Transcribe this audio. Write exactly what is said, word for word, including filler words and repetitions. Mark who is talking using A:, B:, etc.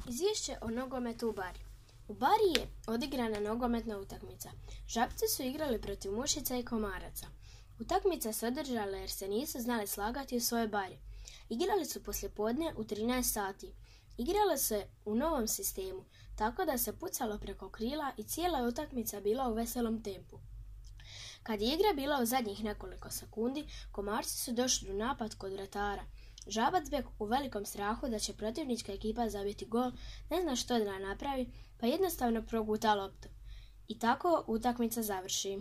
A: Izvješće o nogometu u bari. U bari je odigrana nogometna utakmica. Žabci su igrali protiv mušica i komaraca. Utakmica se održala jer se nisu znali slagati u svojoj bari. Igrali su poslijepodne u trinaest sati. Igralo se u novom sistemu, tako da se pucalo preko krila i cijela je utakmica bila u veselom tempu. Kad je igra bila u zadnjih nekoliko sekundi, komarci su došli u napad kod vratara. Žabac bek u velikom strahu da će protivnička ekipa zabiti gol, ne zna što da napravi, pa jednostavno proguta loptu. I tako utakmica završi.